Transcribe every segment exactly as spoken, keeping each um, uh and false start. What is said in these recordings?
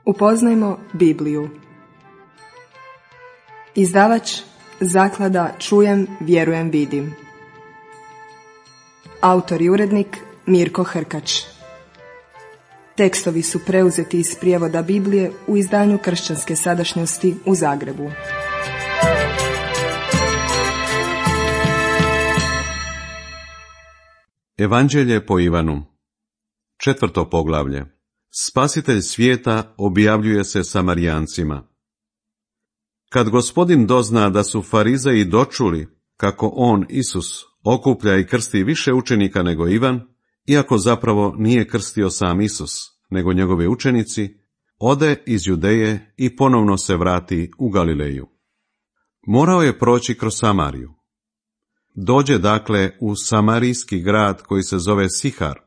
Upoznajmo Bibliju. Izdavač Zaklada Čujem, vjerujem, vidim. Autor i urednik Mirko Hrkač. Tekstovi su preuzeti iz prijevoda Biblije u izdanju Kršćanske sadašnjosti u Zagrebu. Evanđelje po Ivanu. Četvrto poglavlje. Spasitelj svijeta objavljuje se Samarijancima. Kad Gospodin dozna da su farizeji dočuli kako on, Isus, okuplja i krsti više učenika nego Ivan, iako zapravo nije krstio sam Isus, nego njegovi učenici, ode iz Judeje i ponovno se vrati u Galileju. Morao je proći kroz Samariju. Dođe dakle u samarijski grad koji se zove Sihar,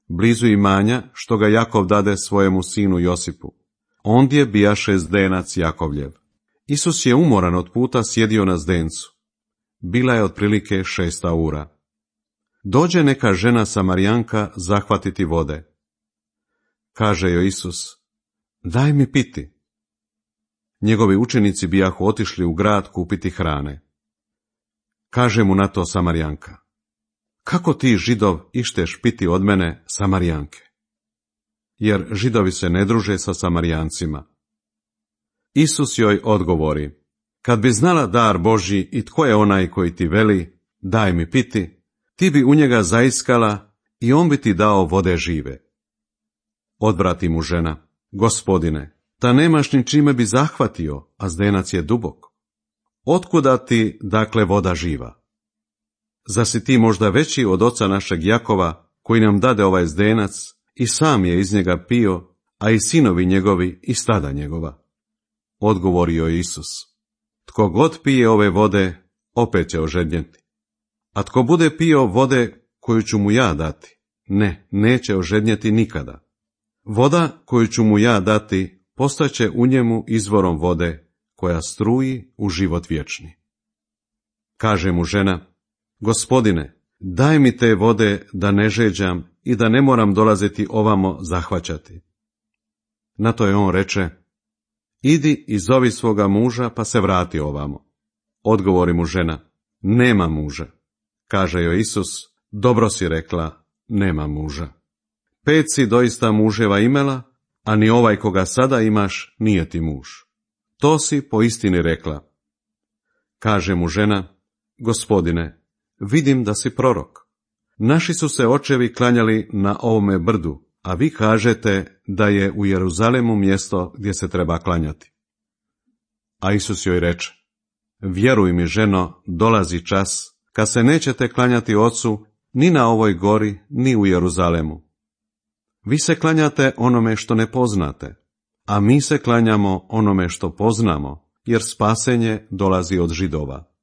blizu imanja što ga Jakov dade svojemu sinu Josipu. Ondje bijaše zdenac Jakovljev. Isus je umoran od puta sjedio na zdencu. Bila je otprilike šesta ura. Dođe neka žena Samarijanka zahvatiti vode. Kaže joj Isus, daj mi piti. Njegovi učenici bijahu otišli u grad kupiti hrane. Kaže mu na to Samarijanka, kako ti, Židov, išteš piti od mene, Samarijanke? Jer Židovi se ne druže sa Samarijancima. Isus joj odgovori, kad bi znala dar Božji i tko je onaj koji ti veli, daj mi piti, ti bi u njega zaiskala i on bi ti dao vode žive. Odvrati mu žena, Gospodine, ta nemaš ni čime bi zahvatio, a zdenac je dubok. Otkuda ti, dakle, voda živa? Zar si ti možda veći od oca našeg Jakova, koji nam dade ovaj zdenac, i sam je iz njega pio, a i sinovi njegovi i stada njegova? Odgovorio je Isus, tko god pije ove vode, opet će ožednjeti. A tko bude pio vode koju ću mu ja dati, ne, neće ožednjeti nikada. Voda koju ću mu ja dati, postaće u njemu izvorom vode, koja struji u život vječni. Kaže mu žena, Gospodine, daj mi te vode da ne žeđam i da ne moram dolaziti ovamo zahvaćati. Na to je on reče, idi i zovi svoga muža pa se vrati ovamo. Odgovori mu žena, nema muža. Kaže joj Isus, dobro si rekla, nema muža. Pet si doista muževa imela, a ni ovaj koga sada imaš nije ti muž. To si po istini rekla. Kaže mu žena, Gospodine, vidim da si prorok. Naši su se očevi klanjali na ovome brdu, a vi kažete da je u Jeruzalemu mjesto gdje se treba klanjati. A Isus joj reče, vjeruj mi, ženo, dolazi čas, kad se nećete klanjati Ocu ni na ovoj gori, ni u Jeruzalemu. Vi se klanjate onome što ne poznate, a mi se klanjamo onome što poznamo, jer spasenje dolazi od Židova.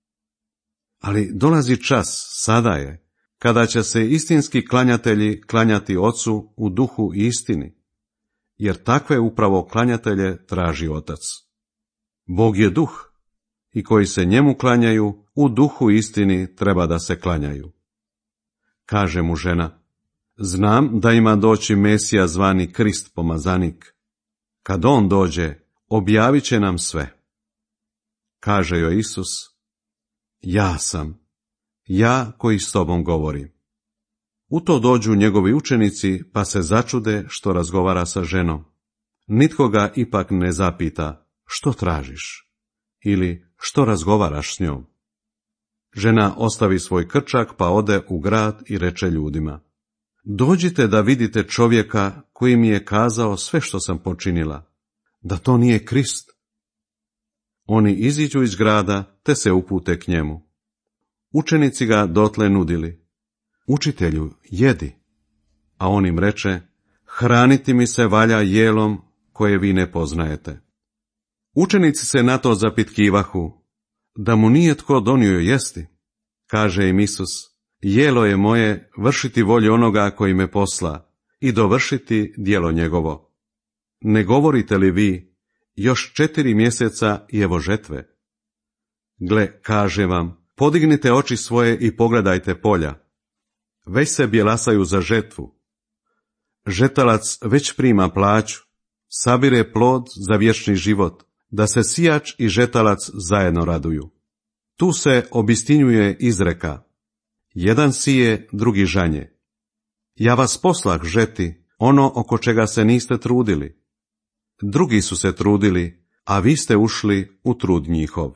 Ali dolazi čas, sada je, kada će se istinski klanjatelji klanjati Ocu u duhu i istini, jer takve upravo klanjatelje traži Otac. Bog je duh, i koji se njemu klanjaju, u duhu i istini treba da se klanjaju. Kaže mu žena, znam da ima doći Mesija zvani Krist pomazanik. Kad on dođe, objavit će nam sve. Kaže joj Isus, ja sam, ja koji s tobom govorim. U to dođu njegovi učenici, pa se začude što razgovara sa ženom. Nitko ga ipak ne zapita, što tražiš, ili što razgovaraš s njom. Žena ostavi svoj krčak, pa ode u grad i reče ljudima, dođite da vidite čovjeka koji mi je kazao sve što sam počinila, da to nije Krist. Oni iziđu iz grada, te se upute k njemu. Učenici ga dotle nudili, učitelju, jedi. A on im reče, hraniti mi se valja jelom koje vi ne poznajete. Učenici se na to zapitkivahu, da mu nije tko donio jesti. Kaže im Isus, jelo je moje vršiti volju onoga koji me posla i dovršiti djelo njegovo. Ne govorite li vi, još četiri mjeseca i evo žetve? Gle, kaže vam, podignite oči svoje i pogledajte polja. Već se bjelasaju za žetvu. Žetalac već prima plaću, sabire plod za vječni život, da se sijač i žetalac zajedno raduju. Tu se obistinjuje izreka: jedan sije, drugi žanje. Ja vas poslah žeti, ono oko čega se niste trudili. Drugi su se trudili, a vi ste ušli u trud njihov.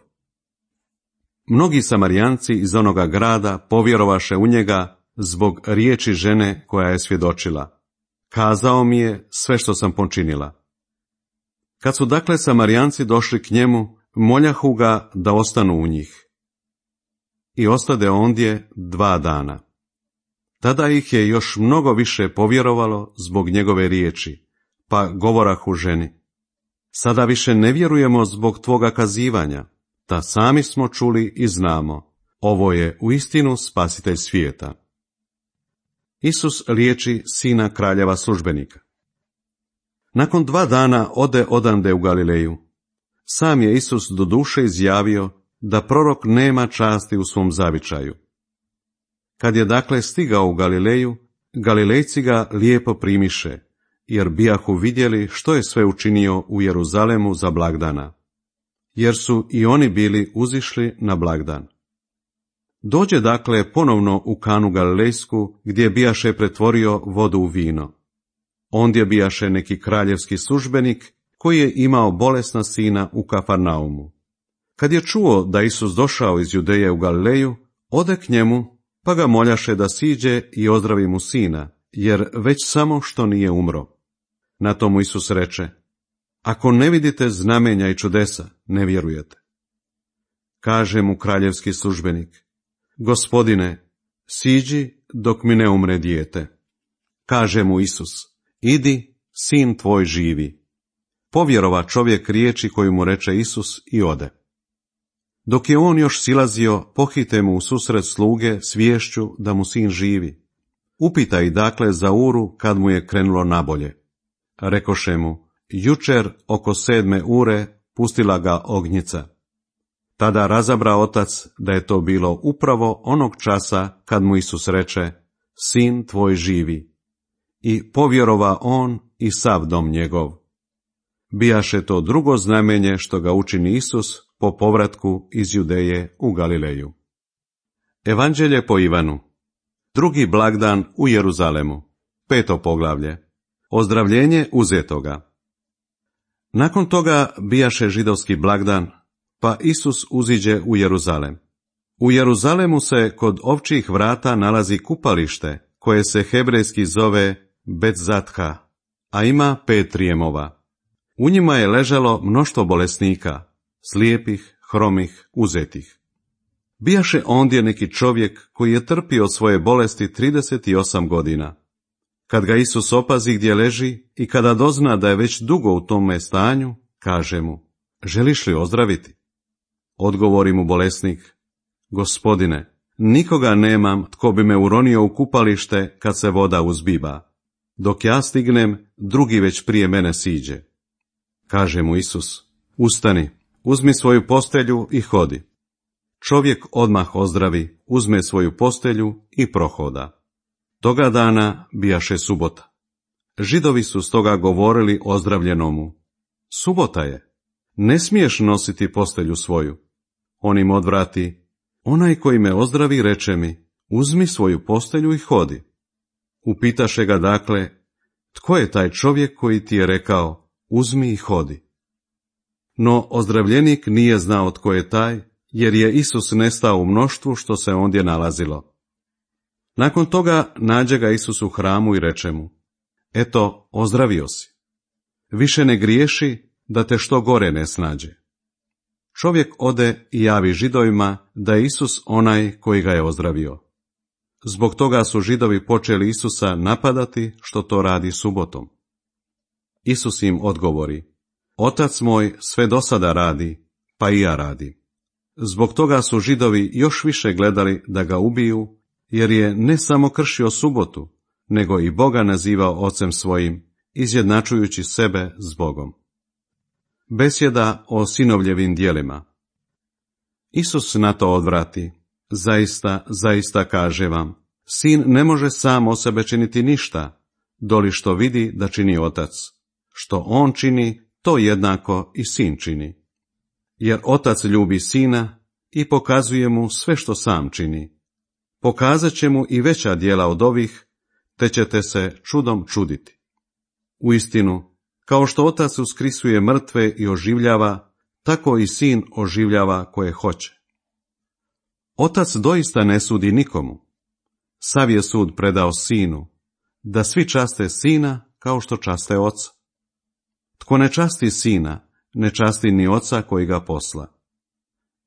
Mnogi Samarijanci iz onoga grada povjerovaše u njega zbog riječi žene koja je svjedočila: kazao mi je sve što sam počinila. Kad su dakle Samarijanci došli k njemu, moljahu ga da ostanu u njih. I ostade ondje dva dana. Tada ih je još mnogo više povjerovalo zbog njegove riječi, pa govorahu ženi: sada više ne vjerujemo zbog tvoga kazivanja, ta sami smo čuli i znamo, ovo je uistinu spasitelj svijeta. Isus liječi sina kraljeva službenika. Nakon dva dana ode odande u Galileju. Sam je Isus doduše izjavio da prorok nema časti u svom zavičaju. Kad je dakle stigao u Galileju, Galilejci ga lijepo primiše, jer bijahu vidjeli što je sve učinio u Jeruzalemu za blagdana, jer su i oni bili uzišli na blagdan. Dođe dakle ponovno u Kanu Galilejsku, gdje bijaše pretvorio vodu u vino. Ondje bijaše neki kraljevski službenik, koji je imao bolesna sina u Kafarnaumu. Kad je čuo da Isus došao iz Judeje u Galileju, ode k njemu, pa ga moljaše da siđe i ozdravi mu sina, jer već samo što nije umro. Na to mu Isus reče: ako ne vidite znamenja i čudesa, ne vjerujete. Kaže mu kraljevski službenik: Gospodine, siđi dok mi ne umre dijete. Kaže mu Isus: idi, sin tvoj živi. Povjerova čovjek riječi koju mu reče Isus i ode. Dok je on još silazio, pohite mu u susret sluge s viješću da mu sin živi. Upita ih dakle za uru kad mu je krenulo nabolje. Rekoše mu: jučer oko sedme ure pustila ga ognjica. Tada razabra otac da je to bilo upravo onog časa kad mu Isus reče: sin tvoj živi. I povjerova on i sav dom njegov. Bijaše to drugo znamenje što ga učini Isus po povratku iz Judeje u Galileju. Evanđelje po Ivanu. Drugi blagdan u Jeruzalemu. Peto poglavlje. Ozdravljenje uzetoga. Nakon toga bijaše židovski blagdan, pa Isus uziđe u Jeruzalem. U Jeruzalemu se kod ovčjih vrata nalazi kupalište, koje se hebrejski zove Bet-Zatha, a ima pet rijemova. U njima je ležalo mnoštvo bolesnika, slijepih, hromih, uzetih. Bijaše ondje neki čovjek koji je trpio svoje bolesti trideset osam godina. Kad ga Isus opazi gdje leži i kada dozna da je već dugo u tome stanju, kaže mu: želiš li ozdraviti? Odgovori mu bolesnik: Gospodine, nikoga nemam tko bi me uronio u kupalište kad se voda uzbiba. Dok ja stignem, drugi već prije mene siđe. Kaže mu Isus: ustani, uzmi svoju postelju i hodi. Čovjek odmah ozdravi, uzme svoju postelju i prohoda. Toga dana bijaše subota. Židovi su stoga govorili ozdravljenomu: subota je, ne smiješ nositi postelju svoju. On im odvrati: onaj koji me ozdravi reče mi: uzmi svoju postelju i hodi. Upitaše ga dakle: tko je taj čovjek koji ti je rekao: uzmi i hodi? No ozdravljenik nije znao tko je taj, jer je Isus nestao u mnoštvu što se ondje nalazilo. Nakon toga nađe ga Isus u hramu i reče mu: eto, ozdravio si. Više ne griješi, da te što gore ne snađe. Čovjek ode i javi Židovima da je Isus onaj koji ga je ozdravio. Zbog toga su Židovi počeli Isusa napadati što to radi subotom. Isus im odgovori: otac moj sve do sada radi, pa i ja radim. Zbog toga su Židovi još više gledali da ga ubiju, jer je ne samo kršio subotu, nego i Boga nazivao ocem svojim, izjednačujući sebe s Bogom. Besjeda o sinovljevim djelima. Isus na to odvrati: zaista, zaista kaže vam, sin ne može sam o sebe činiti ništa, doli što vidi da čini otac. što on čini, to jednako i sin čini. Jer otac ljubi sina i pokazuje mu sve što sam čini. Pokazat će mu i veća djela od ovih, te ćete se čudom čuditi. Uistinu, kao što otac uskrisuje mrtve i oživljava, tako i sin oživljava koje hoće. Otac doista ne sudi nikomu. Sav je sud predao sinu, da svi časte sina kao što časte oca. Tko ne časti sina, ne časti ni oca koji ga posla.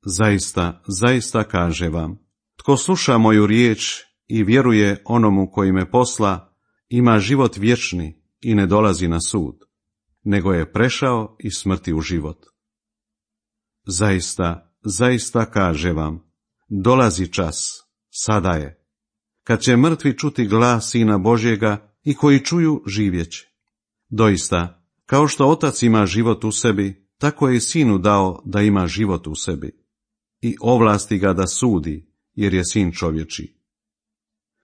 Zaista, zaista kaže vam, tko sluša moju riječ i vjeruje onomu koji me posla, ima život vječni i ne dolazi na sud, nego je prešao iz smrti u život. Zaista, zaista kaže vam, dolazi čas, sada je, kad će mrtvi čuti glas Sina Božjega i koji čuju živjeće. Doista, kao što otac ima život u sebi, tako je i sinu dao da ima život u sebi. I ovlasti ga da sudi, jer je sin čovječji.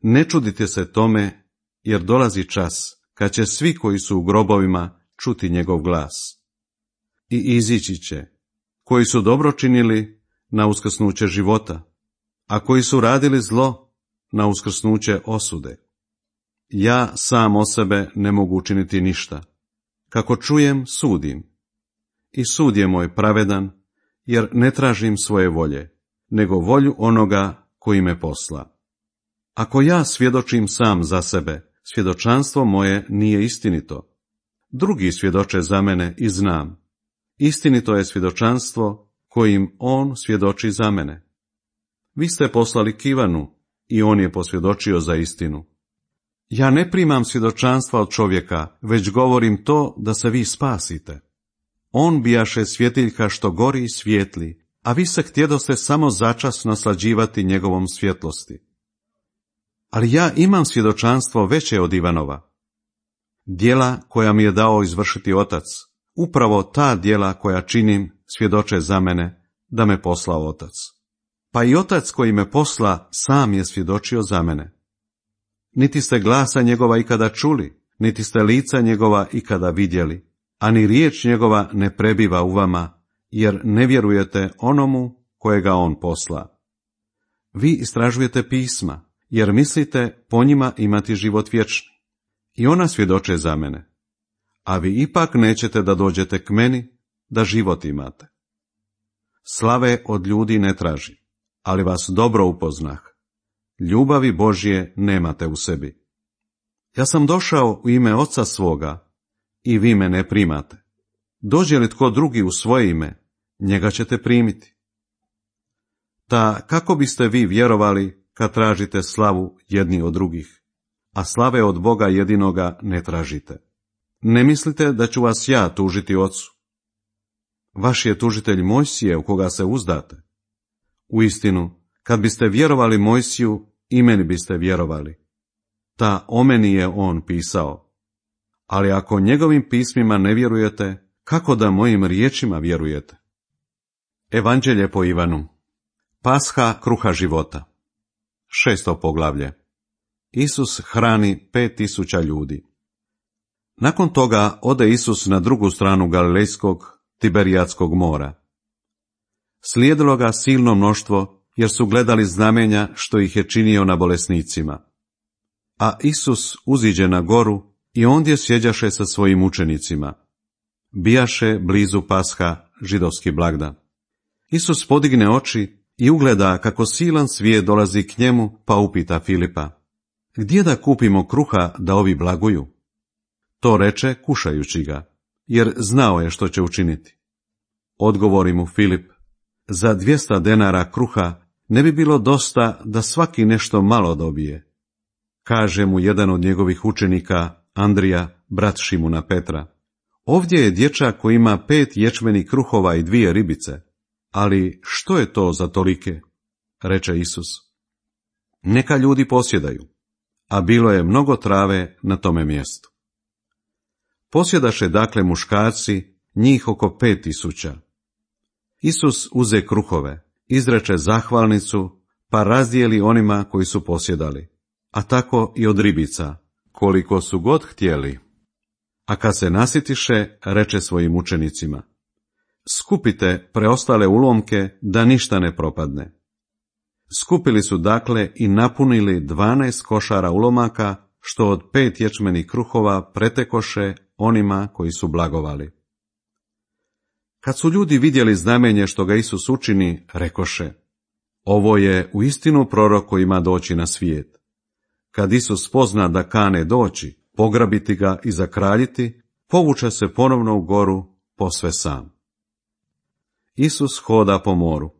Ne čudite se tome, jer dolazi čas kad će svi koji su u grobovima čuti njegov glas. I izići će, koji su dobro činili, na uskrsnuće života, a koji su radili zlo, na uskrsnuće osude. Ja sam o sebe ne mogu učiniti ništa. Kako čujem, sudim. I sud je moj pravedan, jer ne tražim svoje volje, nego volju onoga koji me posla. Ako ja svjedočim sam za sebe, svjedočanstvo moje nije istinito. Drugi svjedoče za mene i znam. Istinito je svjedočanstvo kojim on svjedoči za mene. Vi ste poslali k Ivanu i on je posvjedočio za istinu. Ja ne primam svjedočanstva od čovjeka, već govorim to da se vi spasite. On bijaše svjetiljka što gori i svijetli, a vi se htjedoste samo začas naslađivati njegovom svjetlosti. Ali ja imam svjedočanstvo veće od Ivanova. Djela koja mi je dao izvršiti otac, upravo ta djela koja činim svjedoče za mene da me poslao otac. Pa i otac koji me posla sam je svjedočio za mene. Niti ste glasa njegova ikada čuli, niti ste lica njegova ikada vidjeli, a ni riječ njegova ne prebiva u vama, jer ne vjerujete onomu kojega on posla. Vi istražujete pisma, jer mislite po njima imati život vječni. I ona svjedoče za mene. A vi ipak nećete da dođete k meni, da život imate. Slave od ljudi ne traži, ali vas dobro upoznah. Ljubavi Božje nemate u sebi. Ja sam došao u ime Oca svoga, i vi me ne primate. Dođe li tko drugi u svoje ime, njega ćete primiti. Ta kako biste vi vjerovali kad tražite slavu jedni od drugih, a slave od Boga jedinoga ne tražite? Ne mislite da ću vas ja tužiti Ocu? Vaš je tužitelj Mojsije u koga se uzdate. Uistinu, kad biste vjerovali Mojsiju, i meni biste vjerovali. Ta o meni je on pisao. Ali ako njegovim pismima ne vjerujete, kako da mojim riječima vjerujete? Evanđelje po Ivanu. Pasha kruha života. Šesto poglavlje. Isus hrani pet tisuća ljudi. Nakon toga ode Isus na drugu stranu Galilejskog, Tiberijatskog mora. Slijedilo ga silno mnoštvo, jer su gledali znamenja što ih je činio na bolesnicima. A Isus uziđe na goru i ondje sjeđaše sa svojim učenicima. Bijaše blizu Pasha, židovski blagdan. Isus podigne oči i ugleda kako silan svijet dolazi k njemu, pa upita Filipa: gdje da kupimo kruha da ovi blaguju? To reče kušajući ga, jer znao je što će učiniti. Odgovori mu Filip: za dvjesto denara kruha ne bi bilo dosta da svaki nešto malo dobije. Kaže mu jedan od njegovih učenika, Andrija, brat Šimuna Petra: ovdje je dječak koji ima pet ječmenih kruhova i dvije ribice, ali što je to za tolike? Reče Isus: neka ljudi posjedaju, a bilo je mnogo trave na tome mjestu. Posjedaše dakle muškarci, njih oko pet tisuća. Isus uze kruhove, izreče zahvalnicu, pa razdijeli onima koji su posjedali, a tako i od ribica, koliko su god htjeli. A kad se nasitiše, reče svojim učenicima: skupite preostale ulomke da ništa ne propadne. Skupili su dakle i napunili dvanaest košara ulomaka, što od pet ječmenih kruhova pretekoše onima koji su blagovali. Kad su ljudi vidjeli znamenje što ga Isus učini, rekoše: ovo je uistinu prorok koji ima doći na svijet. Kad Isus pozna da kane doći, pograbiti ga i zakraljiti, povuče se ponovno u goru, posve sam. Isus hoda po moru.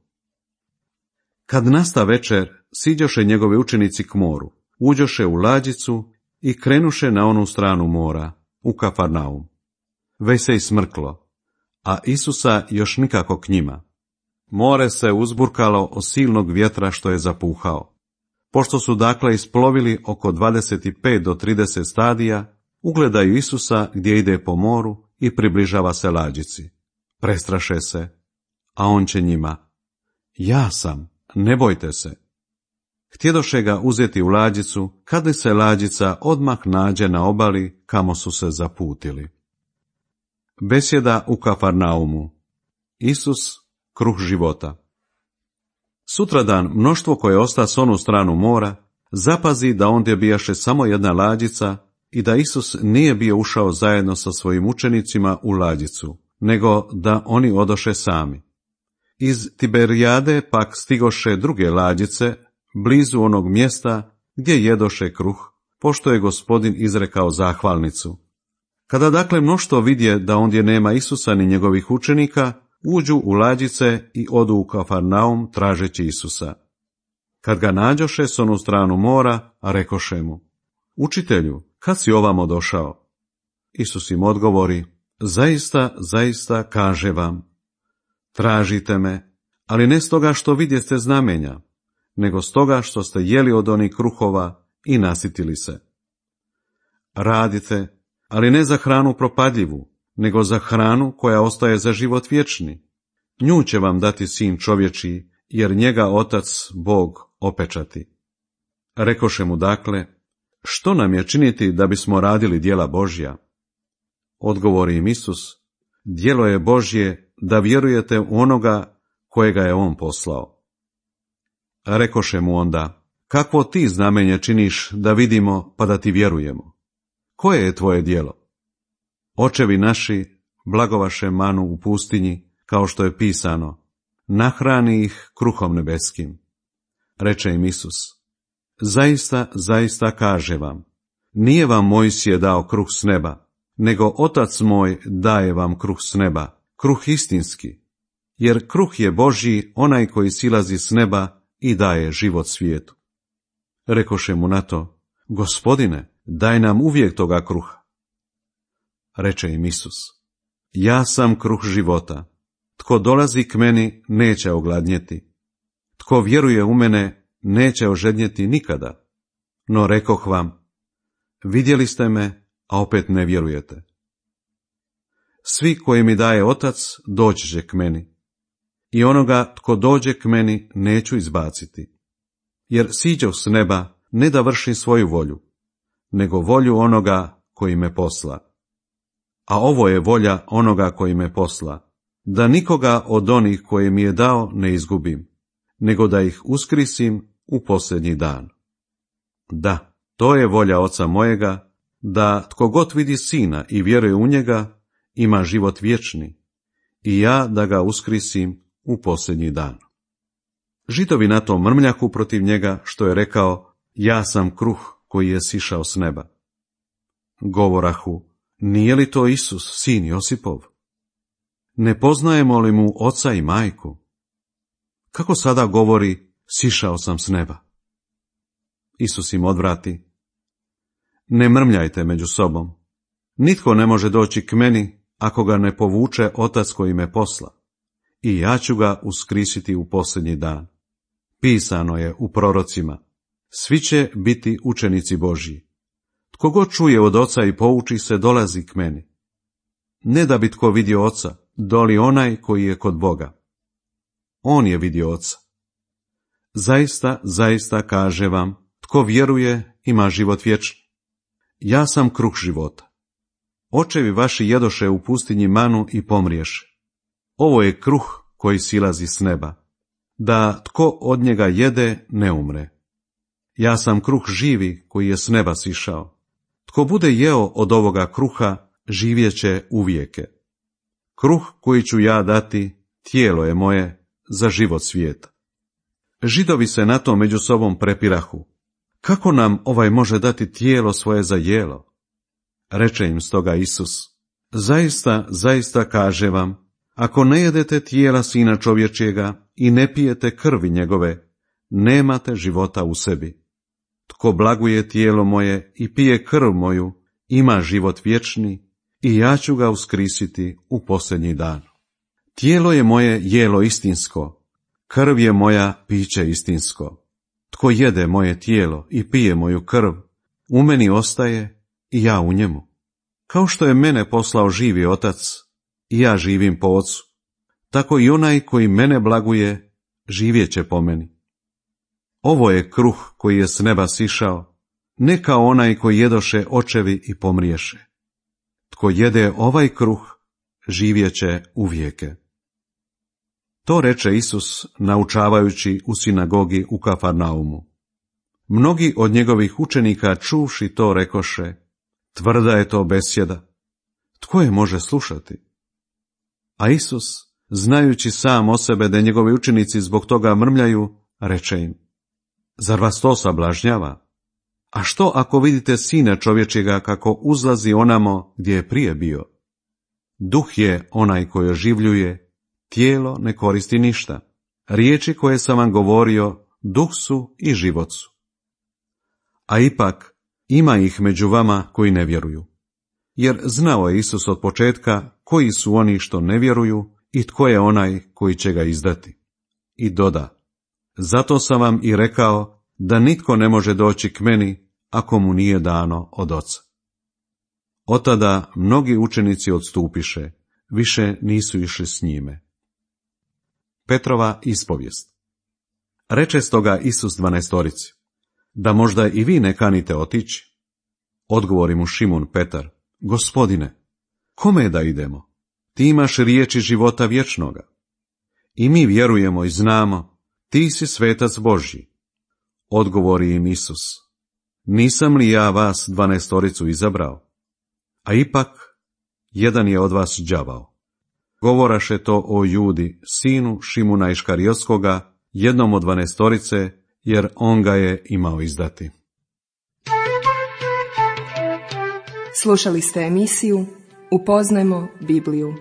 Kad nasta večer, siđoše njegovi učenici k moru, uđoše u lađicu i krenuše na onu stranu mora, u Kafarnaum. Već se i smrklo, a Isusa još nikako k njima. More se uzburkalo od silnog vjetra što je zapuhao. Pošto su dakle isplovili oko dvadeset pet do trideset stadija, ugledaju Isusa gdje ide po moru i približava se lađici. Prestraše se, a on će njima: ja sam, ne bojte se. Htjedoše ga uzeti u lađicu, kad li se lađica odmah nađe na obali kamo su se zaputili. Besjeda u Kafarnaumu. Isus, kruh života. Sutradan mnoštvo koje osta s onu stranu mora zapazi da ondje bijaše samo jedna lađica i da Isus nije bio ušao zajedno sa svojim učenicima u lađicu, nego da oni odoše sami. Iz Tiberijade pak stigoše druge lađice, blizu onog mjesta gdje jedoše kruh, pošto je Gospodin izrekao zahvalnicu. Kada dakle mnoštvo vidje da ondje nema Isusa ni njegovih učenika, uđu u lađice i odu u Kafarnaum tražeći Isusa. Kad ga nađoše s onu stranu mora, a rekoše mu: učitelju, kad si ovamo došao? Isus im odgovori: zaista, zaista kaže vam, tražite me, ali ne stoga što vidjeste znamenja, nego stoga što ste jeli od onih kruhova i nasitili se. Radite, ali ne za hranu propadljivu, nego za hranu koja ostaje za život vječni. Nju će vam dati sin čovječiji, jer njega Otac Bog opečati. Rekoše mu dakle: što nam je činiti da bismo radili djela Božja? Odgovori im Isus: djelo je Božje da vjerujete u onoga kojega je on poslao. Rekoše mu onda: kakvo ti znamenje činiš da vidimo pa da ti vjerujemo? Koje je tvoje djelo? Očevi naši blagovaše manu u pustinji, kao što je pisano: nahrani ih kruhom nebeskim. Reče im Isus: zaista, zaista kaže vam, nije vam Mojsije dao kruh s neba, nego Otac moj daje vam kruh s neba, kruh istinski, jer kruh je Božji onaj koji silazi s neba i daje život svijetu. Rekoše mu na to: Gospodine, daj nam uvijek toga kruha. Reče im Isus: ja sam kruh života. Tko dolazi k meni neće ogladnjeti. Tko vjeruje u mene neće ožednjeti nikada. No rekoh vam, vidjeli ste me, a opet ne vjerujete. Svi koji mi daje Otac doći će k meni, i onoga tko dođe k meni neću izbaciti. Jer siđoh s neba ne da vršim svoju volju, nego volju onoga koji me posla. A ovo je volja onoga koji me posla, da nikoga od onih koji mi je dao ne izgubim, nego da ih uskrisim u posljednji dan. Da, to je volja Oca mojega, da tko god vidi Sina i vjeruje u njega, ima život vječni, i ja da ga uskrisim u posljednji dan. Židovi na tom mrmljaku protiv njega, što je rekao: ja sam kruh koji je sišao s neba. Govorahu: nije li to Isus, sin Josipov? Ne poznajemo li mu oca i majku? Kako sada govori: sišao sam s neba? Isus im odvrati: ne mrmljajte među sobom. Nitko ne može doći k meni ako ga ne povuče Otac koji me posla, i ja ću ga uskrisiti u posljednji dan. Pisano je u prorocima: svi će biti učenici Božji. Tko god čuje od Oca i pouči se, dolazi k meni. Ne da bi tko vidio Oca, doli onaj koji je kod Boga. On je vidio Oca. Zaista, zaista kaže vam, tko vjeruje ima život vječni. Ja sam kruh života. Očevi vaši jedoše u pustinji manu i pomriješe. Ovo je kruh koji silazi s neba, da tko od njega jede ne umre. Ja sam kruh živi koji je s neba sišao. Tko bude jeo od ovoga kruha, živjeće uvijeke. Kruh koji ću ja dati, tijelo je moje za život svijeta. Židovi se na to među sobom prepirahu. Kako nam ovaj može dati tijelo svoje za jelo? Reče im stoga Isus, zaista, zaista kaže vam, ako ne jedete tijela Sina čovječjega i ne pijete krvi njegove, nemate života u sebi. Tko blaguje tijelo moje i pije krv moju, ima život vječni i ja ću ga uskrisiti u posljednji dan. Tijelo je moje jelo istinsko, krv je moja piće istinsko. Tko jede moje tijelo i pije moju krv, u meni ostaje i ja u njemu. Kao što je mene poslao živi Otac, i ja živim po Ocu, tako i onaj koji mene blaguje, živjet će po meni. Ovo je kruh koji je s neba sišao, ne kao onaj koji jedoše očevi i pomriješe. Tko jede ovaj kruh, živjet će uvijeke. To reče Isus naučavajući u sinagogi u Kafarnaumu. Mnogi od njegovih učenika čuvši to rekoše, tvrda je to besjeda, tko je može slušati? A Isus, znajući sam o sebe da njegovi učenici zbog toga mrmljaju, reče im, zar vas to sablažnjava? A što ako vidite Sina čovječjega kako uzlazi onamo gdje je prije bio? Duh je onaj koji oživljuje, tijelo ne koristi ništa. Riječi koje sam vam govorio, duh su i život su. A ipak, ima ih među vama koji ne vjeruju. Jer znao je Isus od početka koji su oni što ne vjeruju i tko je onaj koji će ga izdati. I doda, zato sam vam i rekao da nitko ne može doći k meni ako mu nije dano od Oca. Otada mnogi učenici odstupiše, više nisu išli s njime. Petrova ispovijest. Reče stoga Isus dvanaestorici, da možda i vi ne kanite otići? Odgovori mu Šimun Petar, Gospodine, kome da idemo? Ti imaš riječi života vječnoga. I mi vjerujemo i znamo, ti si svetac Božji. Odgovori im Isus, nisam li ja vas dvanaestoricu izabrao? A ipak, jedan je od vas đavao. Govoraše to o Judi, sinu Šimuna Iškarijotskoga, jednom od dvanaestorice, jer on ga je imao izdati. Slušali ste emisiju Upoznajmo Bibliju.